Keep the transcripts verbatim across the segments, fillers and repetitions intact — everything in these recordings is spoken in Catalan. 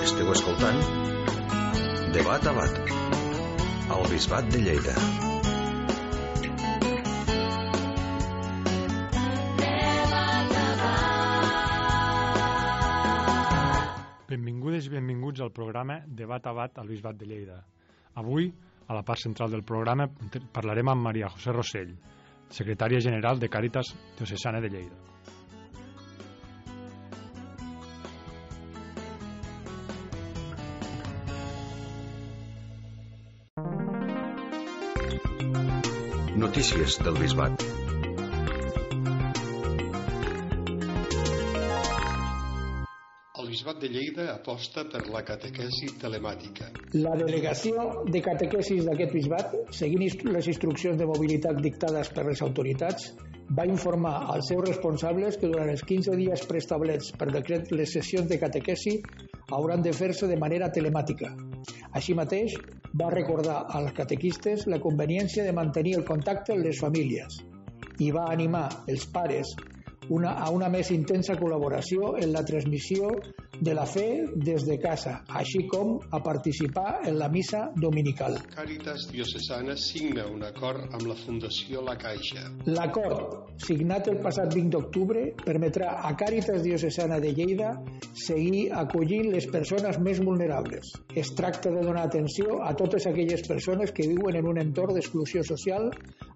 Esteu escoltant Debat a Bat, al Bisbat de Lleida. Benvingudes i benvinguts al programa Debat a Bat al Bisbat de Lleida. Avui, a la part central del programa, parlarem amb Maria José Rossell, secretària general de Càritas Diocesana de Lleida. Notícies del Bisbat. El Bisbat de Lleida aposta per la catequesi telemàtica. La delegació de catequesis d'aquest bisbat, seguint les instruccions de mobilitat dictades per les autoritats, va informar als seus responsables que durant els quinze dies preestablerts per decret les sessions de catequesi hauran de fer-se de manera telemàtica. Així mateix, va recordar als catequistes la conveniència de mantenir el contacte amb les famílies i va animar els pares una, a una més intensa col·laboració en la transmissió de la fe des de casa, així com a participar en la missa dominical. Càritas Diocesana signa un acord amb la Fundació La Caixa. L'acord, signat el passat vint d'octubre, permetrà a Càritas Diocesana de Lleida seguir acollint les persones més vulnerables. Es tracta de donar atenció a totes aquelles persones que viuen en un entorn d'exclusió social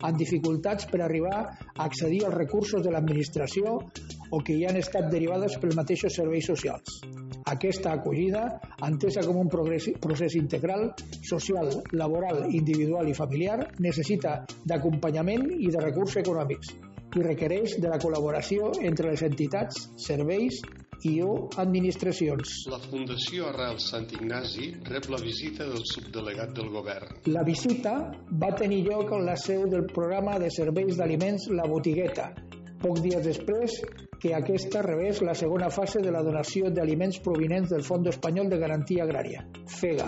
amb dificultats per arribar a accedir als recursos de l'administració o que hi han estat derivades pels mateixos serveis socials. Aquesta acollida, entesa com un progrés, procés integral, social, laboral, individual i familiar, necessita d'acompanyament i de recursos econòmics i requereix de la col·laboració entre les entitats, serveis i o administracions. La Fundació Arrel Sant Ignasi rep la visita del subdelegat del govern. La visita va tenir lloc en la seu del programa de serveis d'aliments La Botigueta, pocs dies després que aquesta rebés la segona fase de la donació d'aliments provinents del Fons Espanyol de Garantia Agrària, FEGA.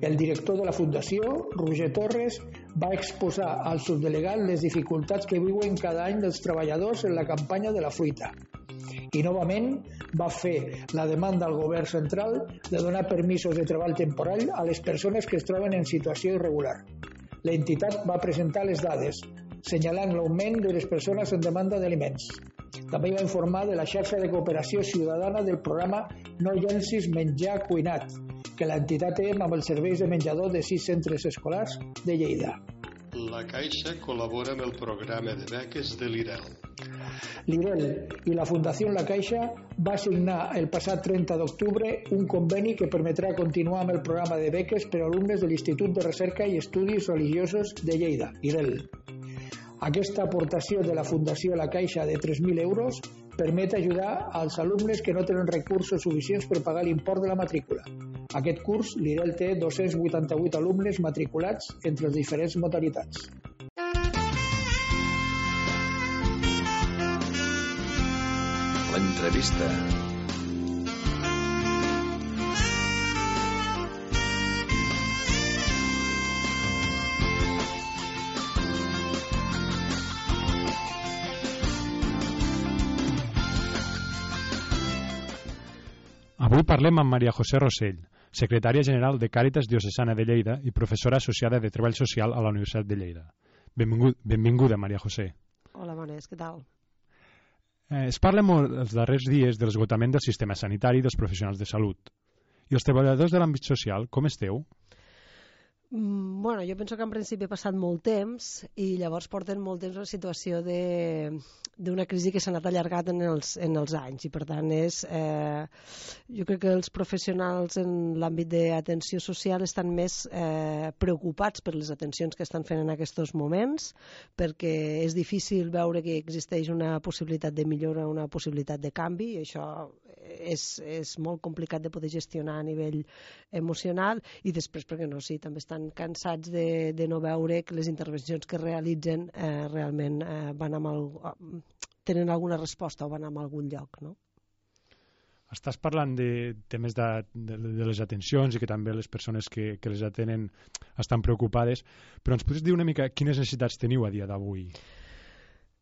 El director de la Fundació, Roger Torres, va exposar al subdelegat les dificultats que viuen cada any dels treballadors en la campanya de la fruita. I novament va fer la demanda al govern central de donar permisos de treball temporal a les persones que es troben en situació irregular. L'entitat va presentar les dades, senyalant l'augment de les persones en demanda d'aliments. També va informar de la xarxa de cooperació ciutadana del programa No llencis menjar cuinat, que l'entitat té amb els serveis de menjador de sis centres escolars de Lleida. La Caixa col·labora amb el programa de beques de l'I R E L. L'I R E L i la Fundació La Caixa va signar el passat trenta d'octubre un conveni que permetrà continuar amb el programa de beques per a alumnes de l'Institut de Recerca i Estudis Religiosos de Lleida, I R E L. Aquesta aportació de la Fundació La Caixa de tres mil euros permet ajudar als alumnes que no tenen recursos suficients per pagar l'import de la matrícula. Aquest curs, l'I R E L té dos-cents vuitanta-vuit alumnes matriculats entre les diferents modalitats. L'entrevista. Avui parlem amb Maria José Rossell, secretària general de Càritas Diocesana de Lleida i professora associada de Treball Social a la Universitat de Lleida. Benvingut, benvinguda, Maria José. Hola, bones, què tal? Eh, es parla molt els darrers dies de l'esgotament del sistema sanitari i dels professionals de salut. I els treballadors de l'àmbit social, com esteu? Mm, bueno, jo penso que en principi ha passat molt temps i llavors porten molt temps una situació de d'una crisi que s'ha anat allargat en els, en els anys i per tant és eh, jo crec que els professionals en l'àmbit d'atenció social estan més eh, preocupats per les atencions que estan fent en aquests moments perquè és difícil veure que existeix una possibilitat de millora, una possibilitat de canvi i això és, és molt complicat de poder gestionar a nivell emocional i després perquè no, sí, també estan cansats de, de no veure que les intervencions que realitzen eh, realment eh, van amb el, tenen alguna resposta o van a algun lloc, no? Estàs parlant de temes de, de, de les atencions i que també les persones que, que les atenen estan preocupades, però ens podries dir una mica quines necessitats teniu a dia d'avui?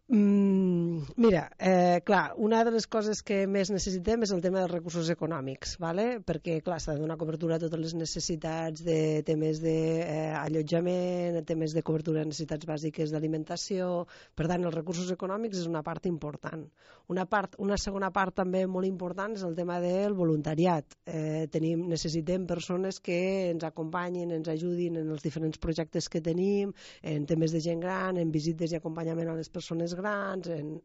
Mm, mira, eh, clar, una de les coses que més necessitem és el tema dels recursos econòmics, ¿vale? Perquè clar, s'ha de donar cobertura a totes les necessitats de temes d'allotjament, de, temes de cobertura de necessitats bàsiques d'alimentació. Per tant, els recursos econòmics és una part important. Una, part, una segona part també molt important és el tema del voluntariat. Eh, tenim, necessitem persones que ens acompanyin, ens ajudin en els diferents projectes que tenim, en temes de gent gran, en visites i acompanyament a les persones grans, en,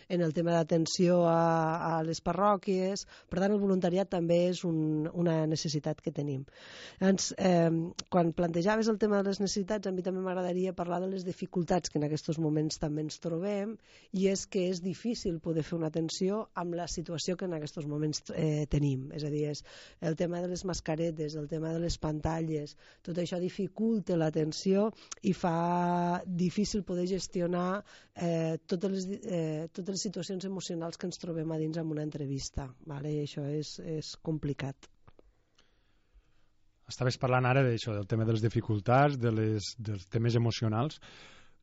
en el tema d'atenció a, a les parròquies. Per tant, el voluntariat també és un, una necessitat que tenim. Llavors, eh, quan plantejaves el tema de les necessitats, a mi també m'agradaria parlar de les dificultats que en aquests moments també ens trobem, i és que és difícil poder fer una atenció amb la situació que en aquests moments eh, tenim. És a dir, és el tema de les mascaretes, el tema de les pantalles, tot això dificulta l'atenció i fa difícil poder gestionar eh, totes, les, eh, totes les situacions emocionals que ens trobem a dins en una entrevista, vale? I això és, és complicat. Estaves parlant ara d'això, del tema de les dificultats, de les, dels temes emocionals.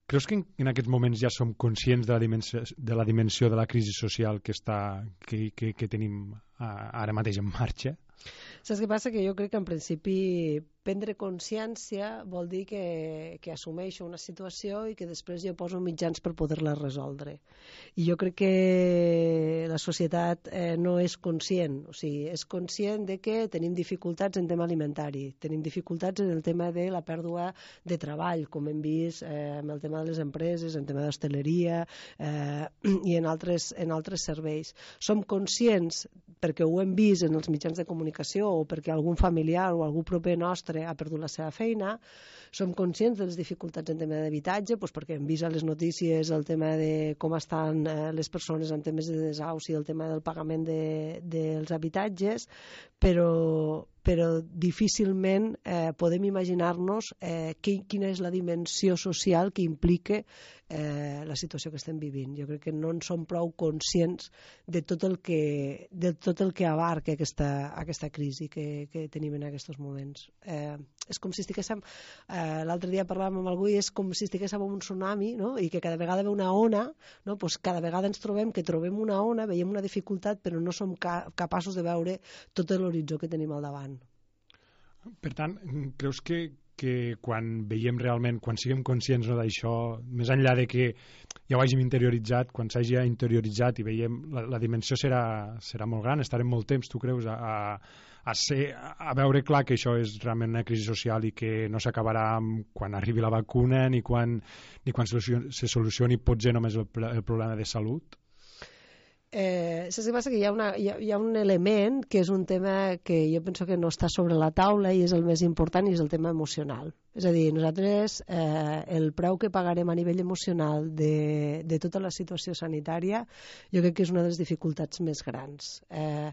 Creus que en, en aquests moments ja som conscients de la dimensió de la, dimensió de la crisi social que, està, que, que, que tenim ara mateix en marxa? Saps què passa? Que jo crec que en principi prendre consciència vol dir que, que assumeixo una situació i que després jo poso mitjans per poder-la resoldre. I jo crec que la societat eh, no és conscient, o sigui, és conscient de que tenim dificultats en tema alimentari, tenim dificultats en el tema de la pèrdua de treball, com hem vist eh, amb el tema de les empreses, en tema d'hostaleria eh, i en altres, en altres serveis. Som conscients, perquè ho hem vist en els mitjans de comunicació o perquè algun familiar o algú proper nostre ha perdut la seva feina, som conscients de les dificultats en tema d'habitatge, doncs perquè hem vist a les notícies el tema de com estan eh, les persones en temes de desahuci, el tema del pagament de, dels habitatges, però, però difícilment eh, podem imaginar-nos eh, quina és la dimensió social que implica eh, la situació que estem vivint. Jo crec que no en som prou conscients de tot el que, de tot el que abarca aquesta, aquesta crisi que, que tenim en aquests moments. Eh, és com si estiguéssim, eh, l'altre dia parlàvem amb algú i és com si estiguéssim en un tsunami, no? I que cada vegada ve una ona, no? Pues cada vegada ens trobem que trobem una ona, veiem una dificultat, però no som ca capaços de veure tot l'horitzó que tenim al davant. Per tant, creus que, que quan veiem realment, quan siguem conscients no, d'això, més enllà de que ja ho hàgim interioritzat, quan s'hagi interioritzat i veiem, la, la dimensió serà, serà molt gran, estarem molt temps, tu creus, a, a, ser, a veure clar que això és realment una crisi social i que no s'acabarà quan arribi la vacuna ni quan, ni quan se solucioni potser només el, el problema de salut? Eh, saps què passa? Que hi ha, una, hi, ha, hi ha un element que és un tema que jo penso que no està sobre la taula i és el més important, i és el tema emocional. És a dir, nosaltres eh, el preu que pagarem a nivell emocional de, de tota la situació sanitària jo crec que és una de les dificultats més grans. Eh,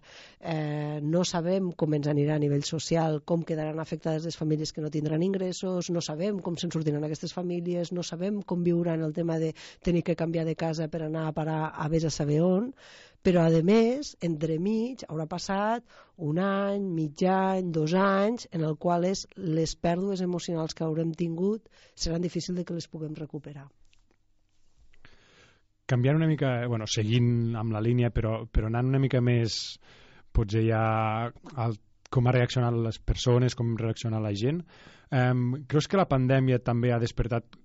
eh, no sabem com ens anirà a nivell social, com quedaran afectades les famílies que no tindran ingressos, no sabem com se'n sortiran aquestes famílies, no sabem com viuran el tema de tenir que canviar de casa per anar a parar a vés a saber on, però a més, entremig haurà passat un any, mig any, dos anys, en el qual les pèrdues emocionals que haurem tingut seran difícils de que les puguem recuperar. Canviant una mica, bueno, seguint amb la línia, però, però anant una mica més, potser ja al, com ha reaccionat les persones, com ha reaccionat la gent, eh, creus que la pandèmia també ha despertat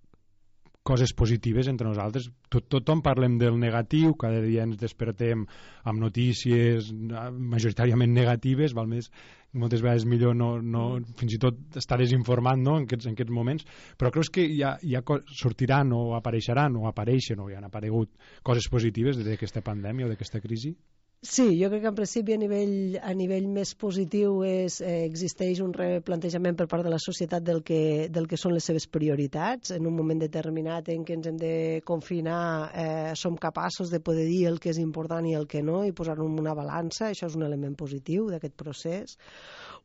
coses positives entre nosaltres? Tot, tothom parlem del negatiu, cada dia ens despertem amb notícies majoritàriament negatives, val més, moltes vegades millor no, no, fins i tot estar desinformat, no, en, aquests, en aquests moments, però creus que ja, ja sortiran o apareixeran o apareixen o ja han aparegut coses positives d'aquesta pandèmia o d'aquesta crisi? Sí, jo crec que en principi a nivell, a nivell més positiu és, eh, existeix un replantejament per part de la societat del que, del que són les seves prioritats. En un moment determinat en què ens hem de confinar eh, som capaços de poder dir el que és important i el que no i posar-ho en una balança. Això és un element positiu d'aquest procés.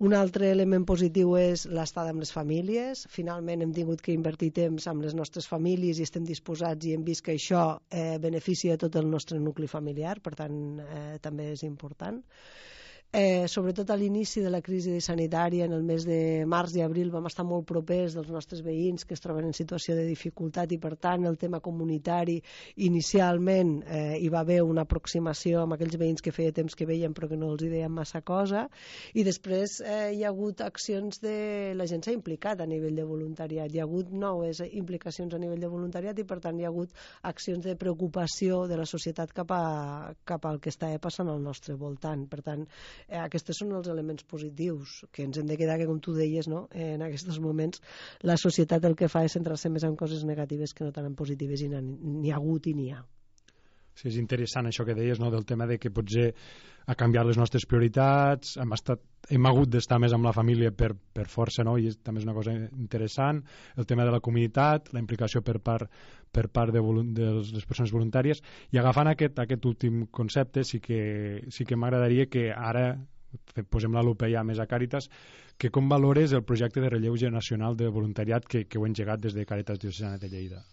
Un altre element positiu és l'estada amb les famílies. Finalment hem tingut que invertir temps amb les nostres famílies i estem disposats i hem vist que això eh, beneficia tot el nostre nucli familiar, per tant eh, també és important. Eh, sobretot a l'inici de la crisi sanitària, en el mes de març i abril, vam estar molt propers dels nostres veïns que es troben en situació de dificultat i, per tant, el tema comunitari, inicialment eh, hi va haver una aproximació amb aquells veïns que feia temps que veien però que no els hi deien massa cosa, i després eh, hi ha hagut accions de... la gent s'ha implicat a nivell de voluntariat, hi ha hagut noves implicacions a nivell de voluntariat i, per tant, hi ha hagut accions de preocupació de la societat cap, a, cap al que està passant al nostre voltant. Per tant, Eh, aquests són els elements positius que ens hem de quedar, que com tu deies, no? eh, en aquests moments la societat el que fa és centrar-se més en coses negatives que no tant en positives, i n'hi ha hagut i n'hi ha. Sí, és interessant això que deies, no? Del tema de que potser ha canviat les nostres prioritats, hem, estat, hem hagut d'estar més amb la família per, per força, no? I és, també és una cosa interessant, el tema de la comunitat, la implicació per part, per part de, de les persones voluntàries, i agafant aquest, aquest últim concepte sí que, sí que m'agradaria que ara posem la lupa ja més a Càritas, que com valores el projecte de relleu generacional de voluntariat que, que heu engegat des de Càritas Diocesana de Lleida?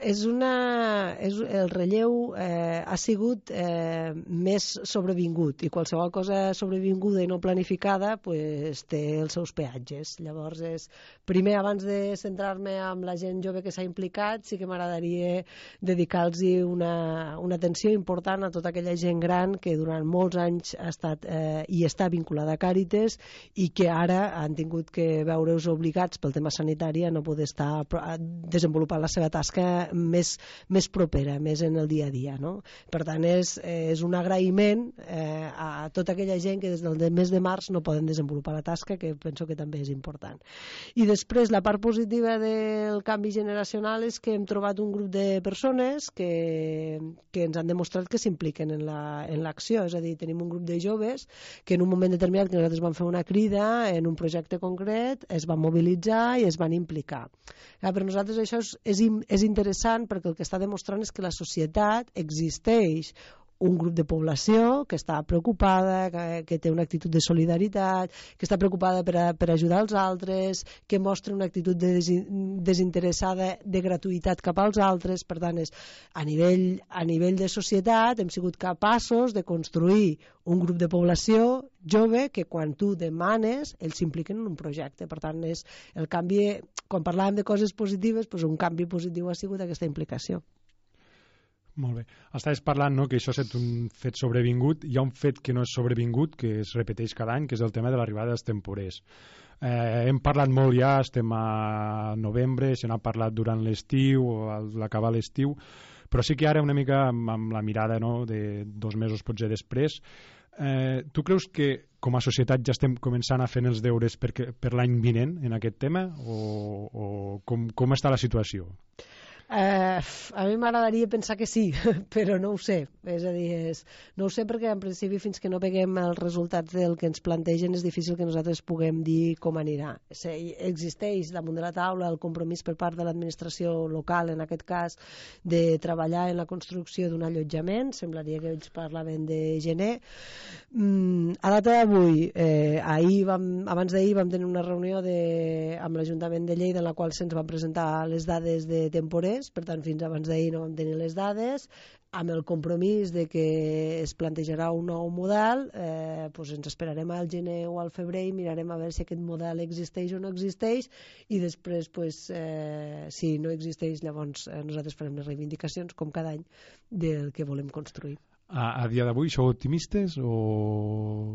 És una, és, el relleu eh, ha sigut eh, més sobrevingut, i qualsevol cosa sobrevinguda i no planificada pues, té els seus peatges. Llavors, és, primer, abans de centrar-me amb la gent jove que s'ha implicat, sí que m'agradaria dedicar-los una, una atenció important a tota aquella gent gran que durant molts anys ha estat eh, i està vinculada a Càritas i que ara han tingut que veure's obligats pel tema sanitari a no poder estar desenvolupant la seva tasca més, més propera, més en el dia a dia, no? Per tant, és, és un agraïment eh, a tota aquella gent que des del mes de març no poden desenvolupar la tasca, que penso que també és important. I després, la part positiva del canvi generacional és que hem trobat un grup de persones que, que ens han demostrat que s'impliquen en l'acció, la, és a dir, tenim un grup de joves que en un moment determinat que nosaltres vam fer una crida en un projecte concret, es van mobilitzar i es van implicar. Ja, per nosaltres això és, és, és interessant perquè el que està demostrant és que la societat existeix un grup de població que està preocupada, que, que té una actitud de solidaritat, que està preocupada per, a, per ajudar els altres, que mostra una actitud de desinteressada de gratuïtat cap als altres. Per tant, és, a, nivell, a nivell de societat hem sigut capaços de construir un grup de població jove que quan tu demanes ells s'impliquen en un projecte. Per tant, és el canvi, quan parlàvem de coses positives, doncs un canvi positiu ha sigut aquesta implicació. Molt bé. Estaves parlant, no?, que això ha estat un fet sobrevingut. Hi ha un fet que no és sobrevingut, que es repeteix cada any, que és el tema de l'arribada dels temporers. Eh, hem parlat molt ja, estem a novembre, se n'ha parlat durant l'estiu o a l'acabar l'estiu, però sí que ara una mica amb, amb la mirada, no?, de dos mesos potser després, eh, tu creus que com a societat ja estem començant a fer els deures per, per l'any vinent en aquest tema, o, o com, com està la situació? Uh, a mi m'agradaria pensar que sí, però no ho sé. És a dir, és, no ho sé perquè en principi fins que no veiem els resultats del que ens plantegen és difícil que nosaltres puguem dir com anirà. Sí, existeix damunt de la taula el compromís per part de l'administració local, en aquest cas, de treballar en la construcció d'un allotjament. Semblaria que ells parlaven de gener. Mm, a data d'avui, eh, ahir vam, abans d'ahir vam tenir una reunió de, amb l'Ajuntament de Lleida en la qual se'ns van presentar les dades de temporers. Per tant, fins abans d'ahir no vam tenir les dades, amb el compromís de que es plantejarà un nou model. Eh, doncs ens esperarem al gener o al febrer i mirarem a veure si aquest model existeix o no existeix, i després, doncs, eh, si no existeix, llavors eh, nosaltres farem les reivindicacions, com cada any, del que volem construir. A, a dia d'avui sou optimistes o...?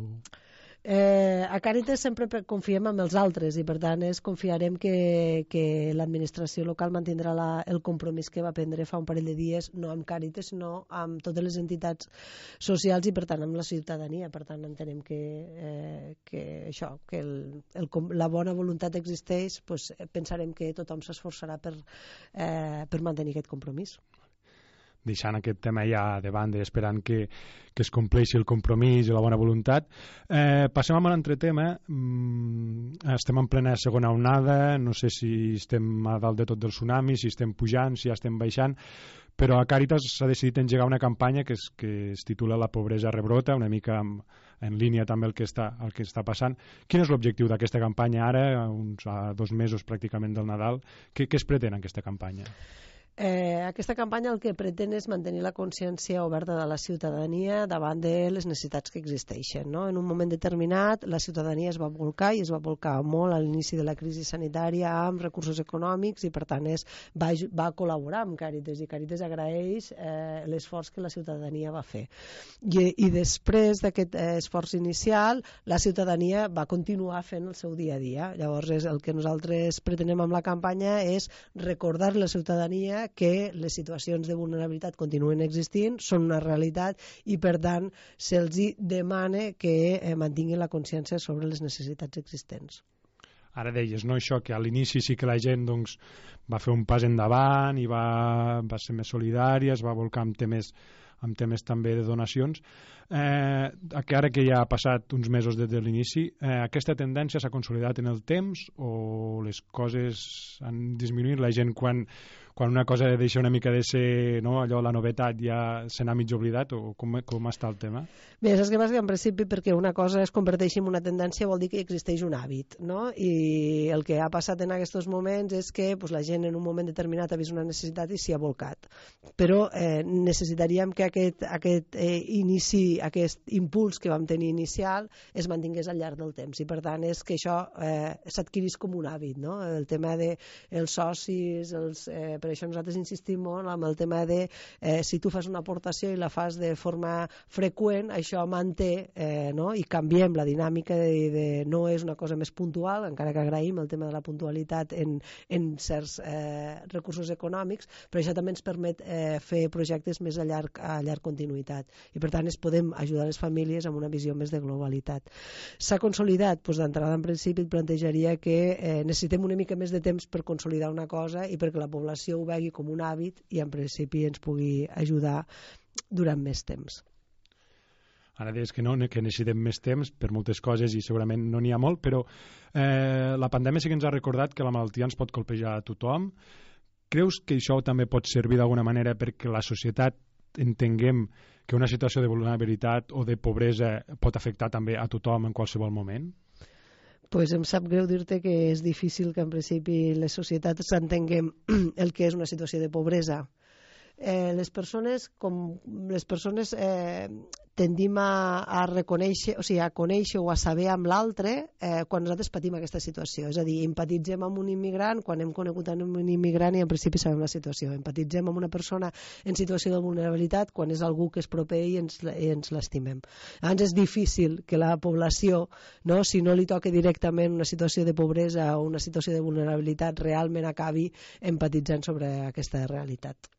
Eh, a Càritas sempre confiem en els altres i per tant és, confiarem que, que l'administració local mantindrà la, el compromís que va prendre fa un parell de dies, no amb Càritas sinó amb totes les entitats socials i per tant amb la ciutadania. Per tant entenem que, eh, que això, que el, el, la bona voluntat existeix, doncs pensarem que tothom s'esforçarà per, eh, per mantenir aquest compromís. Deixant aquest tema ja de banda, esperant que, que es compleixi el compromís i la bona voluntat. Eh, passem a un altre tema. Mm, estem en plena segona onada, no sé si estem a dalt de tot del tsunami, si estem pujant, si ja estem baixant, però a Càritas s'ha decidit engegar una campanya que es, que es titula La pobresa rebrota, una mica en, en línia també el que està, el que està passant. Quin és l'objectiu d'aquesta campanya ara, a uns a dos mesos pràcticament del Nadal? Què, què es pretén en aquesta campanya? Eh, aquesta campanya el que pretén és mantenir la consciència oberta de la ciutadania davant de les necessitats que existeixen, no? En un moment determinat la ciutadania es va volcar i es va volcar molt a l'inici de la crisi sanitària amb recursos econòmics i per tant es va, va col·laborar amb Càritas i Càritas agraeix eh, l'esforç que la ciutadania va fer. I, i després d'aquest eh, esforç inicial la ciutadania va continuar fent el seu dia a dia. Llavors és el que nosaltres pretenem amb la campanya és recordar a la ciutadania que les situacions de vulnerabilitat continuen existint, són una realitat i per tant se'ls demana que eh, mantinguin la consciència sobre les necessitats existents. Ara deies, no, això, que a l'inici sí que la gent doncs, va fer un pas endavant i va, va ser més solidària, es va volcar amb temes, amb temes també de donacions. Eh, que ara que ja ha passat uns mesos des de l'inici, eh, aquesta tendència s'ha consolidat en el temps o les coses han disminuït? La gent quan, quan una cosa deixa una mica de ser, no, allò, la novetat, ja se n'ha mig oblidat, o com, com està el tema? Bé, saps què passa? Que en principi perquè una cosa es converteixi en una tendència vol dir que existeix un hàbit, no? I el que ha passat en aquests moments és que pues, la gent en un moment determinat ha vist una necessitat i s'hi ha volcat. Però eh, necessitaríem que aquest, aquest eh, inici, aquest impuls que vam tenir inicial es mantingués al llarg del temps i per tant és que això eh, s'adquirís com un hàbit, no? El tema dels socis, els, eh, per això nosaltres insistim molt amb el tema de eh, si tu fas una aportació i la fas de forma freqüent, això manté eh, no? I canviem la dinàmica de, de no és una cosa més puntual, encara que agraïm el tema de la puntualitat en, en certs eh, recursos econòmics, però això també ens permet eh, fer projectes més a llarg, a llarg continuïtat i per tant es podem ajudar les famílies amb una visió més de globalitat. S'ha consolidat? Doncs d'entrada en principi et plantejaria que eh, necessitem una mica més de temps per consolidar una cosa i perquè la població ho vegi com un hàbit i en principi ens pugui ajudar durant més temps. Ara deies que no, que necessitem més temps per moltes coses i segurament no n'hi ha molt, però eh, la pandèmia sí que ens ha recordat que la malaltia ens pot colpejar a tothom. Creus que això també pot servir d'alguna manera perquè la societat entenguem que una situació de vulnerabilitat o de pobresa pot afectar també a tothom en qualsevol moment? Pues em sap greu dir-te que és difícil que en principi les societats entenguem el que és una situació de pobresa. Eh, les persones, com les persones eh, tendim a, a reconèixer, o sigui, a conèixer o a saber amb l'altre eh, quan nosaltres patim aquesta situació. És a dir, empatitzem amb un immigrant quan hem conegut amb un immigrant i en principi sabem la situació. Empatitzem amb una persona en situació de vulnerabilitat quan és algú que és proper i ens, i ens l'estimem. Llavors és difícil que la població, no, si no li toca directament una situació de pobresa o una situació de vulnerabilitat, realment acabi empatitzant sobre aquesta realitat.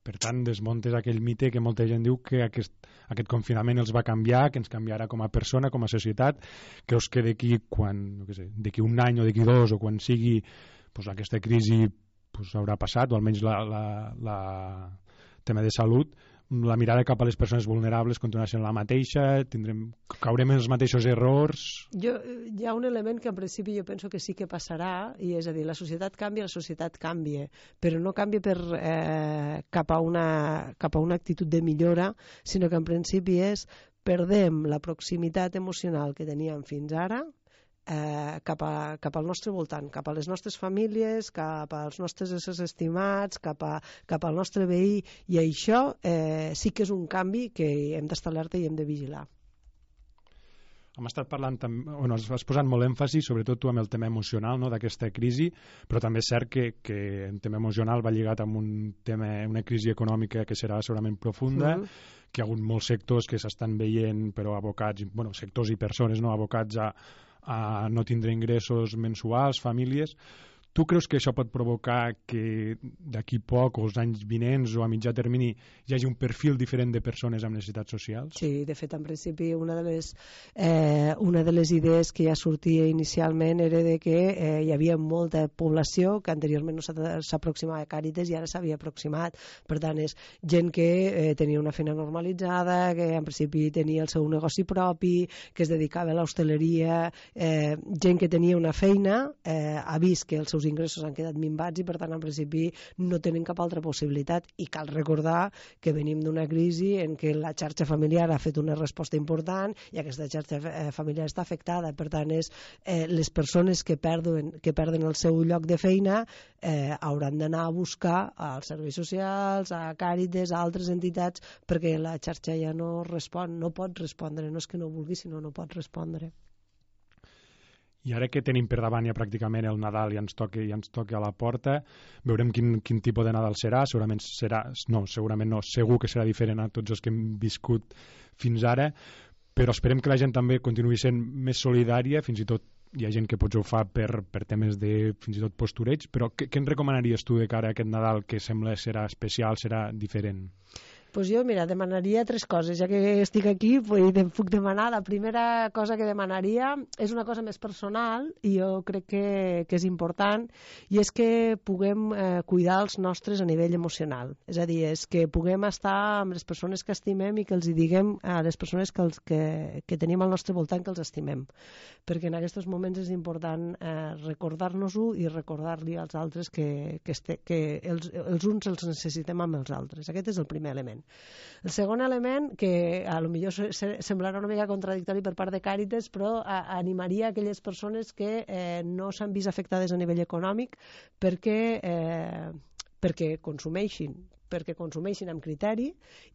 Per tant, desmuntes aquell mite que molta gent diu que aquest, aquest confinament els va canviar, que ens canviarà com a persona, com a societat. Creus que d'aquí quan, no sé, d'aquí un any o d'aquí dos o quan sigui pues, aquesta crisi pues, haurà passat, o almenys la, la, la tema de salut, la mirada cap a les persones vulnerables continuarà sent la mateixa, tindrem, caurem en els mateixos errors? Jo, hi ha un element que en principi jo penso que sí que passarà, i és a dir, la societat canvia, la societat canvia, però no canvia per, eh, cap, a una, cap a una actitud de millora, sinó que en principi és perdem la proximitat emocional que teníem fins ara, Eh, cap, a, cap al nostre voltant, cap a les nostres famílies, cap als nostres éssers estimats, cap, a, cap al nostre veí, i això eh, sí que és un canvi que hem d'estar alerta i hem de vigilar. Hem estat parlant, bueno, has posat molt èmfasi, sobretot tu, amb el tema emocional, no, d'aquesta crisi, però també és cert que, que el tema emocional va lligat amb un tema, una crisi econòmica que serà segurament profunda, mm-hmm. que hi ha hagut molts sectors que s'estan veient, però abocats, bueno, sectors i persones, no, abocats a a no tindre ingressos mensuals, famílies. Tu creus que això pot provocar que d'aquí poc, o els anys vinents, o a mitjà termini, hi hagi un perfil diferent de persones amb necessitats socials? Sí, de fet, en principi, una de les, eh, una de les idees que ja sortia inicialment era de que eh, hi havia molta població que anteriorment no s'aproximava a Càritas i ara s'havia aproximat. Per tant, és gent que eh, tenia una feina normalitzada, que en principi tenia el seu negoci propi, que es dedicava a l'hostaleria, eh, gent que tenia una feina, eh, ha vist que els seus seus ingressos han quedat minvats i per tant en principi no tenen cap altra possibilitat, i cal recordar que venim d'una crisi en què la xarxa familiar ha fet una resposta important i aquesta xarxa eh, familiar està afectada. Per tant, és, eh, les persones que perden, que perden el seu lloc de feina eh, hauran d'anar a buscar als serveis socials, a Càritas, a altres entitats, perquè la xarxa ja no respon, no pot respondre, no és que no vulgui, sinó no pot respondre. I ara que tenim per davant ja pràcticament el Nadal i ens toca, i ens toca a la porta, veurem quin, quin tipus de Nadal serà. Segurament serà, no, segurament no, segur que serà diferent a tots els que hem viscut fins ara, però esperem que la gent també continuï sent més solidària, fins i tot hi ha gent que potser ho fa per, per temes de fins i tot postureig, però què, què ens recomanaries tu de cara a aquest Nadal que sembla serà especial, serà diferent? Pues jo, mira, demanaria tres coses. Ja que estic aquí, pues, puc demanar. La primera cosa que demanaria és una cosa més personal i jo crec que, que és important, i és que puguem eh, cuidar els nostres a nivell emocional. És a dir, és que puguem estar amb les persones que estimem i que els hi diguem a les persones que, els, que, que tenim al nostre voltant que els estimem. Perquè en aquests moments és important eh, recordar-nos-ho i recordar-li als altres que, que, este, que els, els uns els necessitem amb els altres. Aquest és el primer element. El segon element, que a lo millor semblarà una mica contradictori per part de Càritas, però a, animaria aquelles persones que eh, no s'han vist afectades a nivell econòmic perquè, eh, perquè consumeixin perquè consumeixin amb criteri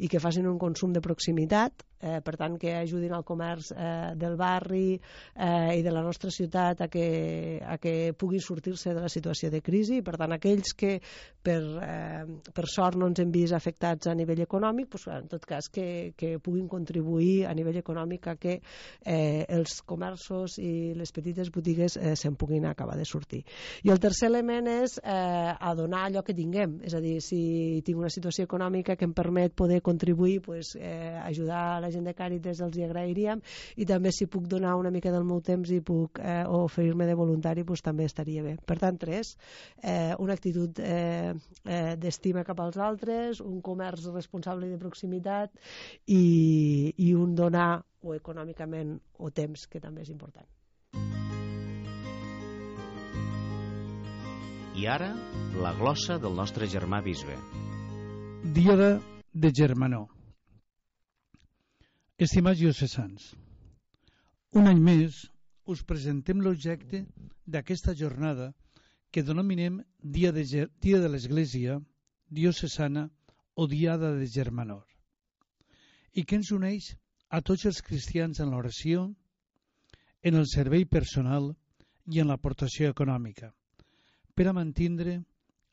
i que facin un consum de proximitat, eh, per tant que ajudin al comerç eh, del barri eh, i de la nostra ciutat a que, a que puguin sortir-se de la situació de crisi. Per tant, aquells que per, eh, per sort no ens hem vist afectats a nivell econòmic, doncs, en tot cas que, que puguin contribuir a nivell econòmic a que eh, els comerços i les petites botigues eh, se'n puguin acabar de sortir. I el tercer element és eh, a donar allò que tinguem, és a dir, si tinc una situació econòmica que em permet poder contribuir, pues, eh, ajudar a la gent de Càritas, els hi agrairíem, i també si puc donar una mica del meu temps i puc eh, oferir-me de voluntari, pues, també estaria bé. Per tant, tres, eh, una actitud eh, eh, d'estima cap als altres, un comerç responsable i de proximitat i, i un donar o econòmicament o temps, que també és important. I ara, la glossa del nostre germà bisbe. Diada de Germanor. Estimats diocesans, un any més us presentem l'objecte d'aquesta jornada que denominem Dia de, Ger Dia de l'Església Diocesana o Diada de Germanor, i que ens uneix a tots els cristians en l'oració, en el servei personal i en l'aportació econòmica, per a mantindre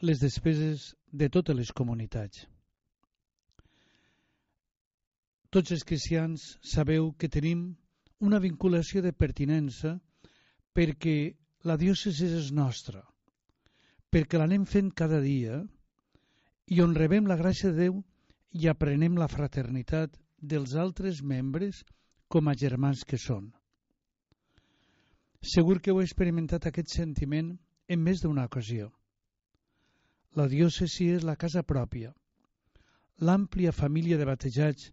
les despeses de totes les comunitats. Tots els cristians sabeu que tenim una vinculació de pertinença perquè la diòcesi és nostra, perquè l'anem fent cada dia i on rebem la gràcia de Déu i aprenem la fraternitat dels altres membres com a germans que són. Segur que heu experimentat aquest sentiment en més d'una ocasió. La diòcesi és la casa pròpia, l'àmplia família de batejats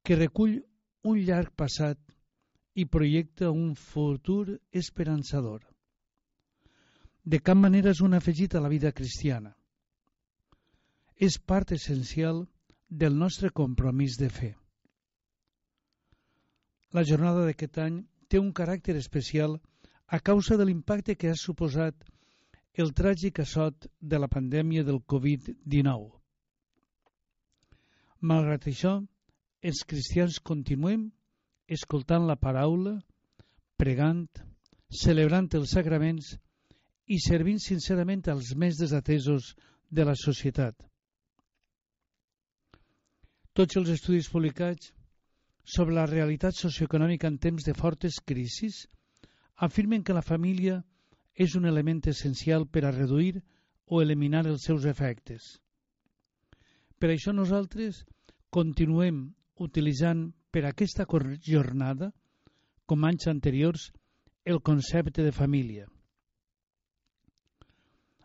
que recull un llarg passat i projecta un futur esperançador. De cap manera és un afegit a la vida cristiana. És part essencial del nostre compromís de fe. La jornada d'aquest any té un caràcter especial a causa de l'impacte que ha suposat el tràgic assot de la pandèmia del covid dinou. Malgrat això, els cristians continuem escoltant la paraula, pregant, celebrant els sacraments i servint sincerament als més desatesos de la societat. Tots els estudis publicats sobre la realitat socioeconòmica en temps de fortes crisis afirmen que la família és un element essencial per a reduir o eliminar els seus efectes. Per això nosaltres continuem utilitzant per aquesta jornada, com anys anteriors, el concepte de família.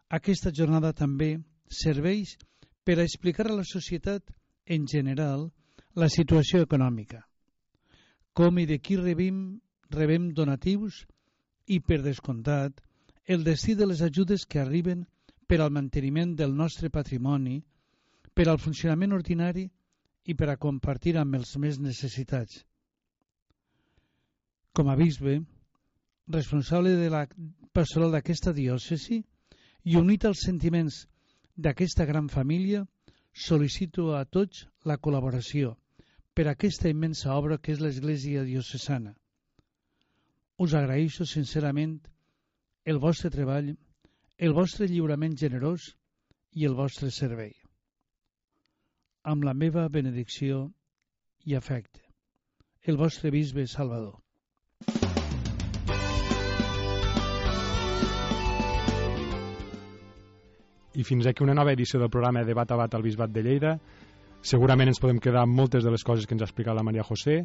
Aquesta jornada també serveix per a explicar a la societat en general la situació econòmica, com i de qui rebem, rebem donatius i, per descomptat, el destí de les ajudes que arriben per al manteniment del nostre patrimoni, per al funcionament ordinari i per a compartir amb els més necessitats. Com a bisbe, responsable de la pastoral d'aquesta diòcesi i unit als sentiments d'aquesta gran família, sol·licito a tots la col·laboració per a aquesta immensa obra que és l'Església Diocesana. Us agraeixo sincerament el vostre treball, el vostre lliurament generós i el vostre servei. Amb la meva benedicció i afecte. El vostre bisbe Salvador. I fins aquí una nova edició del programa Debat a Bat al Bisbat de Lleida. Segurament ens podem quedar amb moltes de les coses que ens ha explicat la Maria José.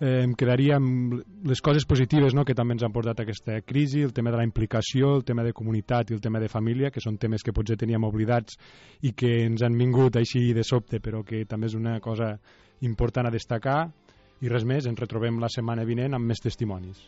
Eh, em quedaria amb les coses positives, no?, que també ens han portat aquesta crisi, el tema de la implicació, el tema de comunitat i el tema de família, que són temes que potser teníem oblidats i que ens han vingut així de sobte, però que també és una cosa important a destacar. I res més, ens retrobem la setmana vinent amb més testimonis.